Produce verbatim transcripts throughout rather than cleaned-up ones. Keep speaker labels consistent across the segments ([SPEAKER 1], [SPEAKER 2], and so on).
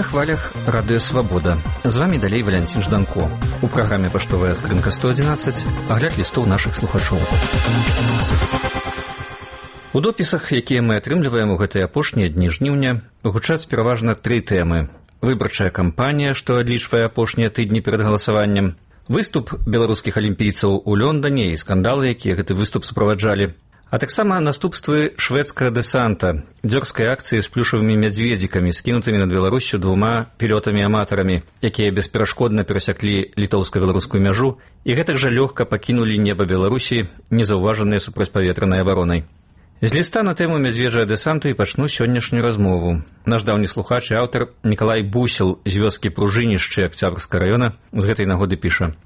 [SPEAKER 1] На хвалях радыё «Свабода». З вамі далей Валянцін Жданко. У праграме «Паштовая скрынка сто адзінаццаць» агляд лістоў нашых слухачоў. У допісах, якія мы атрымліваем у гэтыя апошнія дні жніўня, гучаць пераважна тры тэмы. Выбарчая кампанія, што адлічвае апошнія тыдні перад галасаваннем, выступ беларускіх алімпійцаў у Лондане і скандалы, якія гэты выступ суправаджалі, а таксама наступствы шведскага дэсанта, дзёрзкай акцыі з плюшавымі мядзведзікамі, скінутымі над Беларусю двума пілётамі-аматарамі, якія бесперашкодна перасяклі літоўска-беларускую мяжу і гэтак жа лёгка пакінулі неба Беларусі, незаўважаныя супрацьпаветранай абаронай. З ліста на тэму мядзведжага дэсанту і пачну сённяшнюю размову. Наш даўні слухач і аўтар Мікалай Бусел з вёскі Пружынішчы Акцябрскага раёна з гэтай нагоды піша: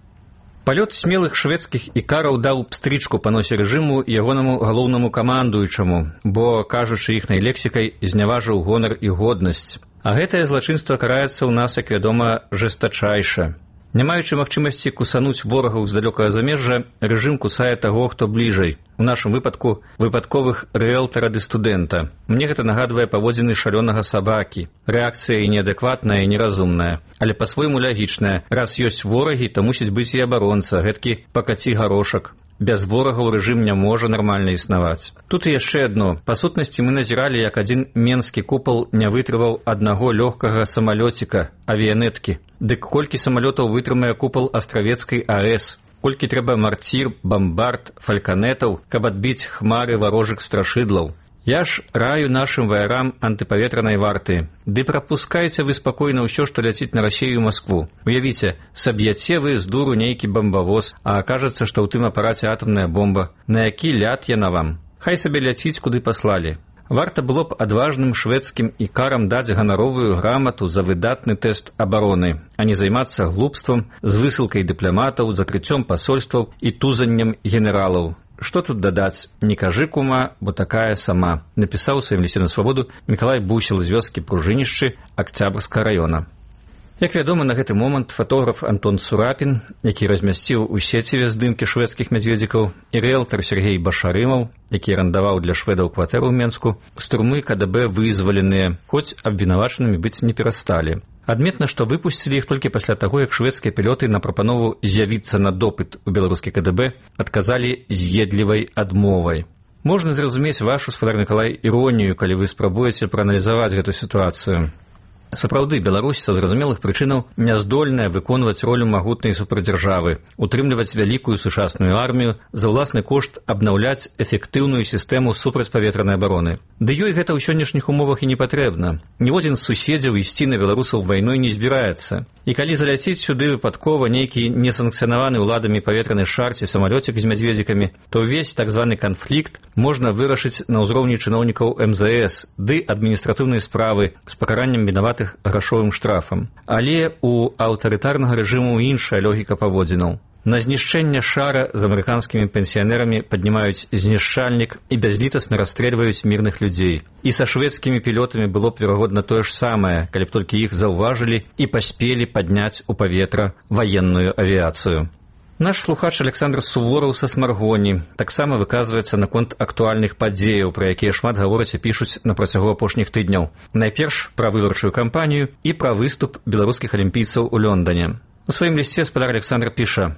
[SPEAKER 1] «Палёт смелых шведскіх ікараў даў пстрычку па носе рэжыму і ягонаму галоўнаму камандуючаму, бо, кажучы іхнай лексікай, зняважыў гонар і годнасць. А гэтае злачынства караецца ў нас, як вядома, жэстачайша. Не маючы магчымасці кусануць ворагаў з далёкага замежжа, рэжым кусае таго, хто бліжэй. У нашым выпадку выпадковых рыэлтара ды студэнта. Мне гэта нагадвае паводзіны шалёнага сабакі. Рэакцыя і неадэкватная, і неразумная, але па-свойму лягічная. Раз ёсць ворагі, то мусіць быць і абаронца, гэткі пакаці гарошак. Без ворагаў рэжым не можа нармальна існаваць. Тут і яшчэ адно. Па сутнасці мы назіралі, як адзін менскі купал не вытрываў аднаго лёгкага самалёціка, авіянеткі. Дык колькі самалётаў вытрымае купал Астравецкай АЭС? Колькі трэба марцір, бамбард, фальканетаў, каб адбіць хмары варожых страшыдлаў? Я ж раю нашым ваярам антыпаветранай варты. Ды прапускайце вы спакойна ўсё, што ляціць на Расію і Маскву. Уявіце, саб'яце вы з дуру нейкі бамбавоз, а акажацца, што ў тым апараце атамная бомба. На які ляд яна вам? Хай сабе ляціць, куды паслалі. Варта было б адважным шведскім ікарам даць ганаровую грамату за выдатны тэст абароны, а не займацца глупствам з высылкай дыпламатаў, закрыццём пасольстваў і тузаннем генералаў. Што тут дадаць? Не кажы, кума, бо такая сама, напісаў у сваім лісце на свабоду Мікалай Бусел з вёскі Пружынішчы Акцябрскага раёна. Як вядома, на гэты момант фатограф Антон Цурапін, які размясціў у сеціве здымкі шведскіх мядзведзікаў, і рыэлтар Сергей Башарымаў, які арандаваў для шведаў кватэру ў Менску, з турмы КДБ вызваленыя, хоць абвінавачанымі быць не перасталі. Адметна, што выпусцілі іх толькі пасля таго, як шведскія пілёты на прапанову з'явіцца на допыт у беларускі КДБ адказалі з'едлівай адмовай. Можна зразумець вашу, спадар Мікалай, іронію, калі вы спрабуеце прааналізаваць гэту сітуацыю. Сапраўды, Беларусь са зразумелых прычынаў няздольная выконваць ролю магутнай суправдзяржавы, утрымліваць вялікую сучасную армію, за ўласны кошт абнаўляць эфектыўную сістэму супрацьпаветранай абароны. Ды ёй гэта ў сённяшніх умовах і не патрэбна. Ніводзін з суседзяў ісці на беларусаў вайной не збіраецца. І калі заляціць сюды выпадкова нейкі несанкцыянаваны ўладамі паветраны шар ці самалёцік з мядзведзікамі, то ўвесь так званы канфлікт можна вырашыць на ўзроўні чыноўнікаў эм зэ эс ды адміністратыўнай справы з пакараннем вінаватых грашовым штрафам. Але у аўтарытарнага рэжыму іншая логіка паводзінаў. На знішчэнне шара з амерыканскімі пенсіянерамі паднімаюць знішчальнік і бязлітасна расстрэльваюць мірных людзей. І са шведскімі пілётамі было б, верагодна, тое ж самае, калі б толькі іх заўважылі і паспелі падняць у паветра ваенную авіяцыю. Наш слухач Александр Сувораў са Смаргоні таксама выказваецца наконт актуальных падзеяў, пра якія шмат гавораць і пішуць на працягу апошніх тыдняў. Найперш пра выбарчую кампанію і пра выступ беларускіх алімпійцаў у Лондане. У сваім лісце спадар Александр піша: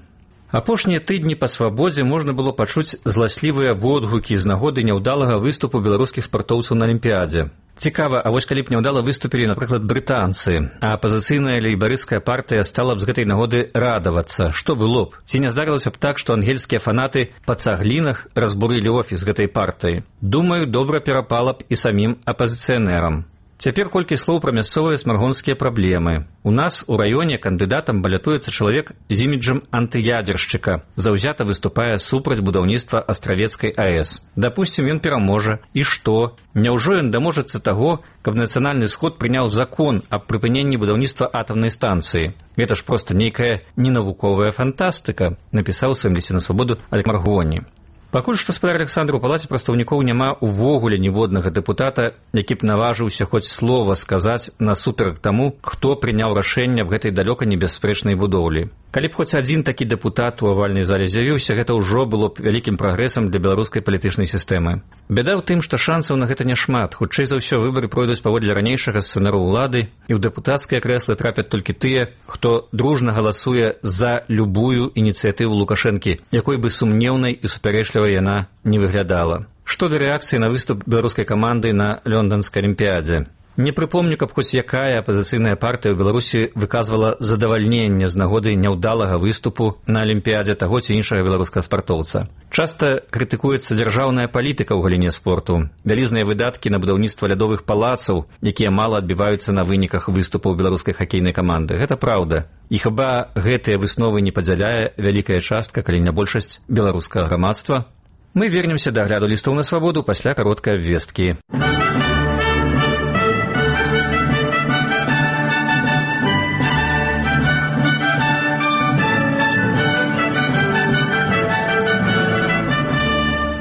[SPEAKER 1] апошнія тыдні па свабодзе можна было пачуць зласлівыя водгукі з нагоды няўдалага выступу беларускіх спартоўцаў на алімпіядзе. Цікава, а вось калі б няўдала выступілі, напрыклад, брытанцы, а апазіцыйная лейбарысцкая партыя стала б з гэтай нагоды радавацца, што было б? Ці не здарылася б так, што ангельскія фанаты па цаглінах разбурылі офіс гэтай партыі? Думаю, добра перапала б і самім апазіцыянерам. Цяпер колькі слоў пра мясцовыя смаргонскія праблемы. У нас у раёне кандыдатам балятуецца чалавек з іміджам антыядзершчыка, заўзята выступае супраць будаўніцтва Астравецкай АЭС. Дапусцім, ён пераможа. І што? Няўжо ён даможацца таго, каб нацыянальны сход прыняў закон аб прыпыненні будаўніцтва атамнай станцыі? Гэта ж проста нейкая ненавуковая фантастыка, напісаў у сваім лісце на свабоду Алек Маргоні. Пакуль што, спадар Александр, у палаце прадстаўнікоў няма ўвогуле ніводнага дэпутата, які б наважыўся хоць слова сказаць насуперак таму, хто прыняў рашэнне аб гэтай далёка небяспрэчнай будоўлі. Калі б хоць адзін такі дэпутат у авальнай зале з'явіўся, гэта ўжо было б вялікім прагрэсам для беларускай палітычнай сістэмы. Бяда ў тым, што шансаў на гэта няшмат. Хутчэй за ўсё выбары пройдуць паводле ранейшага сцэнару ўлады, і ў дэпутацкія крэслы трапяць толькі тыя, хто дружна галасуе за любую ініцыятыву Лукашэнкі, якой бы сумнеўнай і супярэчлівай яна не выглядала. Што да рэакцыі на выступ беларускай каманды на лёнданскай алімпіядзе? Не прыпомню, каб хоць якая апазіцыйная партыя ў Беларусі выказвала задавальненне з нагоды няўдалага выступу на алімпіядзе таго ці іншага беларускага спартоўца. Часта крытыкуецца дзяржаўная палітыка ў галіне спорту, вялізныя выдаткі на будаўніцтва лядовых палацаў, якія мала адбіваюцца на выніках выступаў беларускай хакейнай каманды. Гэта праўда. І хіба гэтыя высновы не падзяляе вялікая частка, калі не большасць беларускага грамадства? Мы вернемся да агляду лістоў на свабоду пасля кароткай абвесткі.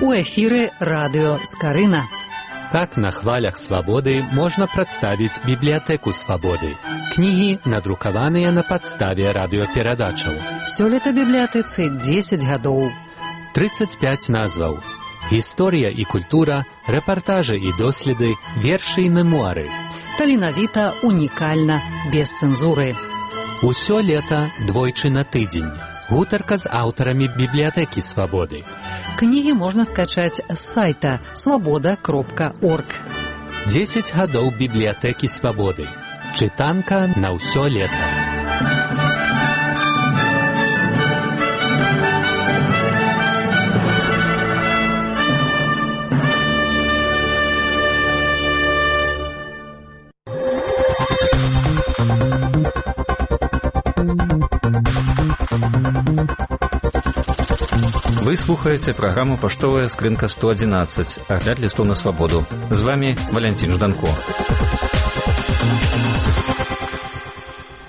[SPEAKER 2] У эфіры радыё Скарына.
[SPEAKER 3] Так на хвалях свабоды можна прадставіць бібліятэку свабоды. Кнігі надрукаваныя на падставе радыёперадачаў.
[SPEAKER 2] Сёлета бібліятэцы дзесяць гадоў.
[SPEAKER 3] трыццаць пяць назваў. Гісторыя і культура, рэпартажы і доследы, вершы і мемуары.
[SPEAKER 2] Таленавіта, унікальна, без цэнзуры.
[SPEAKER 3] Усё лета двойчы на тыдзень. Гутарка з аўтарамі бібліятэкі свабоды.
[SPEAKER 2] Кнігі можна скачаць з сайта свабода кропка орг.
[SPEAKER 3] дзесяць гадоў бібліятэкі свабоды. Чытанка на ўсё лета.
[SPEAKER 1] Вы слухаеце праграму «Паштовая скрынка сто адзінаццаць», агляд лістоў на свабоду. З вами Валянцін Жданко.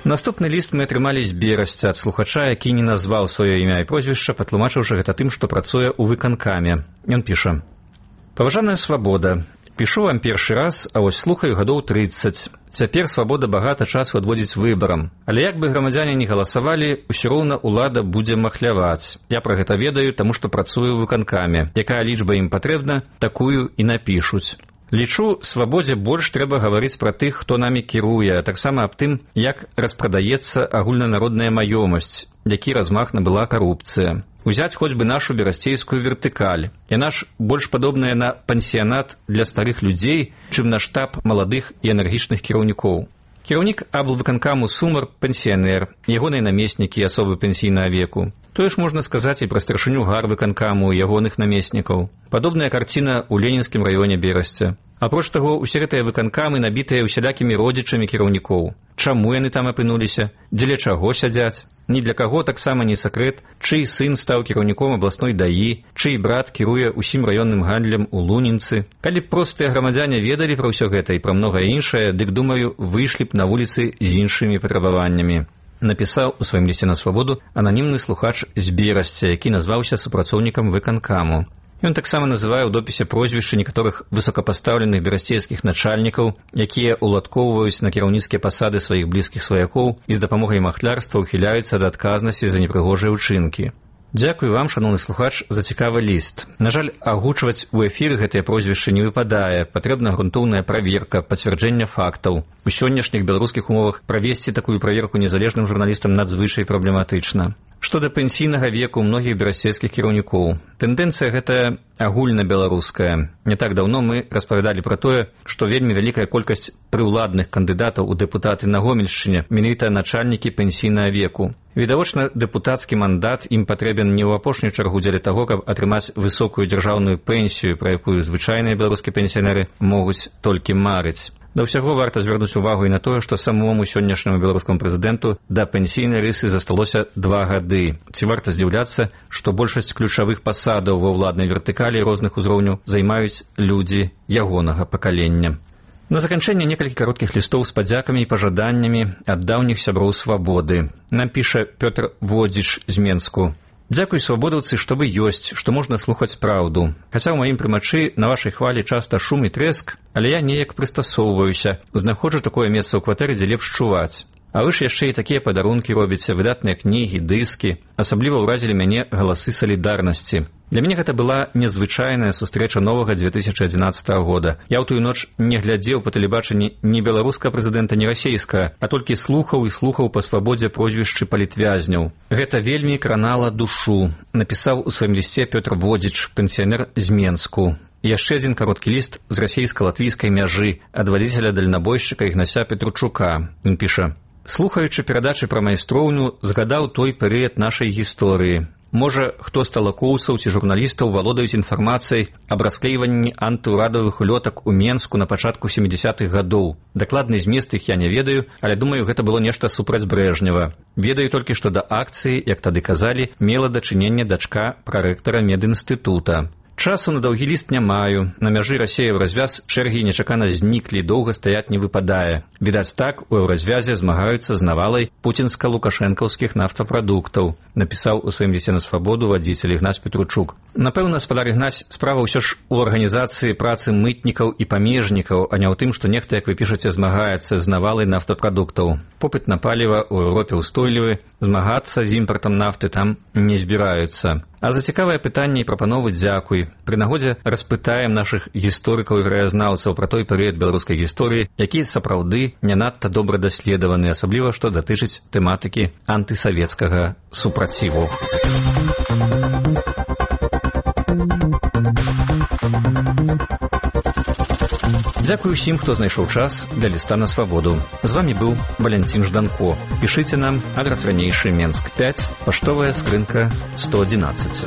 [SPEAKER 1] Наступны ліст мы атрымалі з Берасця ад слухача, які не назваў сваё імя і прозвішча, патлумачыўшы гэта тым, што працуе ў выканкаме. Ён піша: «Паважаная свабода, пішу вам першы раз, а вось слухаю гадоў трыццаць. Цяпер свабода багата часу адводзіць выбарам. Але як бы грамадзяне не галасавалі, усё роўна ўлада будзе махляваць. Я пра гэта ведаю, таму што працую ў выканкаме. Якая лічба ім патрэбна, такую і напішуць. Лічу, свабодзе больш трэба гаварыць пра тых, хто намі кіруе, а таксама аб тым, як распрадаецца агульнанародная маёмасць, які размах набыла карупцыя. Узяць хоць бы нашу берасцейскую вертыкаль. Яна ж больш падобная на пансіянат для старых людзей, чым на штаб маладых і энергічных кіраўнікоў. Кіраўнік аблвыканкаму Сумар – пенсіянер, ягоныя намеснікі – асобы пенсійнага веку. Тое ж можна сказаць і пра старшыню гарвыканкаму і ягоных намеснікаў. Падобная карціна ў ленінскім раёне Берасця. Апроч таго, усе гэтыя выканкамы набітыя ўсялякімі родзічамі кіраўнікоў. Чаму яны там апынуліся? Дзеля чаго сядзяць? Ні для каго таксама не сакрэт, чый сын стаў кіраўніком абласной даі, чый брат кіруе ўсім раённым гандлем у Лунінцы. Калі б простыя грамадзяне ведалі пра ўсё гэта і пра многае іншае, дык, думаю, выйшлі б на вуліцы з іншымі патрабаваннямі. Напісаў у сваім лісце на свабоду ананімны слухач з Берасця, які назваўся супрацоўнікам выканкаму. Ён таксама называе ў допісе прозвішчы некаторых высокапастаўленых берасцейскіх начальнікаў, якія уладкоўваюць на кіраўніцкія пасады сваіх блізкіх сваякоў і з дапамогай махлярства ўхіляюцца ад адказнасці за непрыгожыя ўчынкі. Дзякую вам, шановны слухач, за цікавы ліст. На жаль, агучваць у эфіры гэтыя прозвішчы не выпадае. Патрэбна грунтоўная праверка, пацвярджэнне фактаў. У сённяшніх беларускіх умовах правесці такую праверку незалежным журналістам надзвычай праблематычна. Што да пенсійнага веку многіх берасцейскіх кіраўнікоў. Тэндэнцыя гэтая агульнабеларуская. Не так даўно мы распавядалі пра тое, што вельмі вялікая колькасць прыўладных кандыдатаў у дэпутаты на Гомельшчыне менавіта начальнікі пенсійнага веку. Відавочна, дэпутацкі мандат ім патрэбен не ў апошнюю чаргу дзеля таго, каб атрымаць высокую дзяржаўную пенсію, пра якую звычайныя беларускія пенсіянеры могуць толькі марыць. Да ўсяго варта звярнуць увагу і на тое, што самому сённяшняму беларускаму прэзідэнту да пенсійнай рысы засталося два гады. Ці варта здзіўляцца, што большасць ключавых пасадаў ва ўладнай вертыкалі розных узроўняў займаюць людзі ягонага пакалення. На заканчэнне некалькі кароткіх лістоў з падзякамі і пажаданнямі ад даўніх сяброў свабоды. Нам піша Пётр Водзіч з Менску. Дзякуй, свабодаўцы, што вы ёсць, што можна слухаць праўду. Хаця ў маім прымачы на вашай хвалі часта шум і трэск, але я неяк прыстасоўваюся, знаходжу такое месца ў кватэры, дзе лепш чуваць. А вы ж яшчэ і такія падарункі робіце, выдатныя кнігі, дыскі. Асабліва ўразілі мяне галасы салідарнасці. Для мяне гэта была незвычайная сустрэча новага дзве тысячы адзінаццатага года. Я ў тую ноч не глядзеў па тэлебачанні ні беларускага прэзідэнта, ні расейскага, а толькі слухаў і слухаў па свабодзе прозвішчы палітвязняў. Гэта вельмі кранала душу, напісаў у сваім лісце Пётр Водзіч, пенсіянер з Менску. Яшчэ адзін кароткі ліст з расейска-латвійскай мяжы ад вадзіцеля-дальнабойшчыка Ігнася Петручука. Ён піша: «Слухаючы перадачы пра майстроўню, згадаў той перыяд нашай гісторыі. Можа, хто з талакоўцаў ці журналістаў валодаюць інфармацыяй аб расклейванні антыўрадавых улётак у Менску на пачатку сямідзясятых гадоў. Дакладны змест іх я не ведаю, але думаю, гэта было нешта супраць Брэжнева. Ведаю толькі, што да акцыі, як тады казалі, мела дачыненне дачка прарэктара медінстытута. Часу на даўгі ліст не маю. На мяжы Расія Еўразвяз чэргі нечакана зніклі, доўга стаяць не выпадае. Відаць так, у Еўразвязе змагаюцца з навалай пуцінска-лукашэнкаўскіх нафтапрадуктаў», напісаў у сваім лісце на свабоду вадзіцель Ігнась Петручук. Напэўна, спадар Ігнась, справа ўсё ж у арганізацыі працы мытнікаў і памежнікаў, а не ў тым, што нехта, як вы пішаце, змагаецца з навалай нафтапрадуктаў. Попыт на паліва ў Еўропе ўстойлівы, змагацца з імпартам нафты там не збіраюцца. А за цікавае пытанне і прапановы дзякуй. Пры нагодзе распытаем нашых гісторыкаў і краязнаўцаў пра той перыяд беларускай гісторыі, які сапраўды не надта добра даследаваны, асабліва што датычыць тэматыкі антысавецкага супраціву. Дзякуй усім, хто знайшоў час для ліста на свабоду. З вамі быў Валянцін Жданко. Пішыце нам, адрас ранейшы, Менск пяць, паштовая скрынка сто адзінаццаць.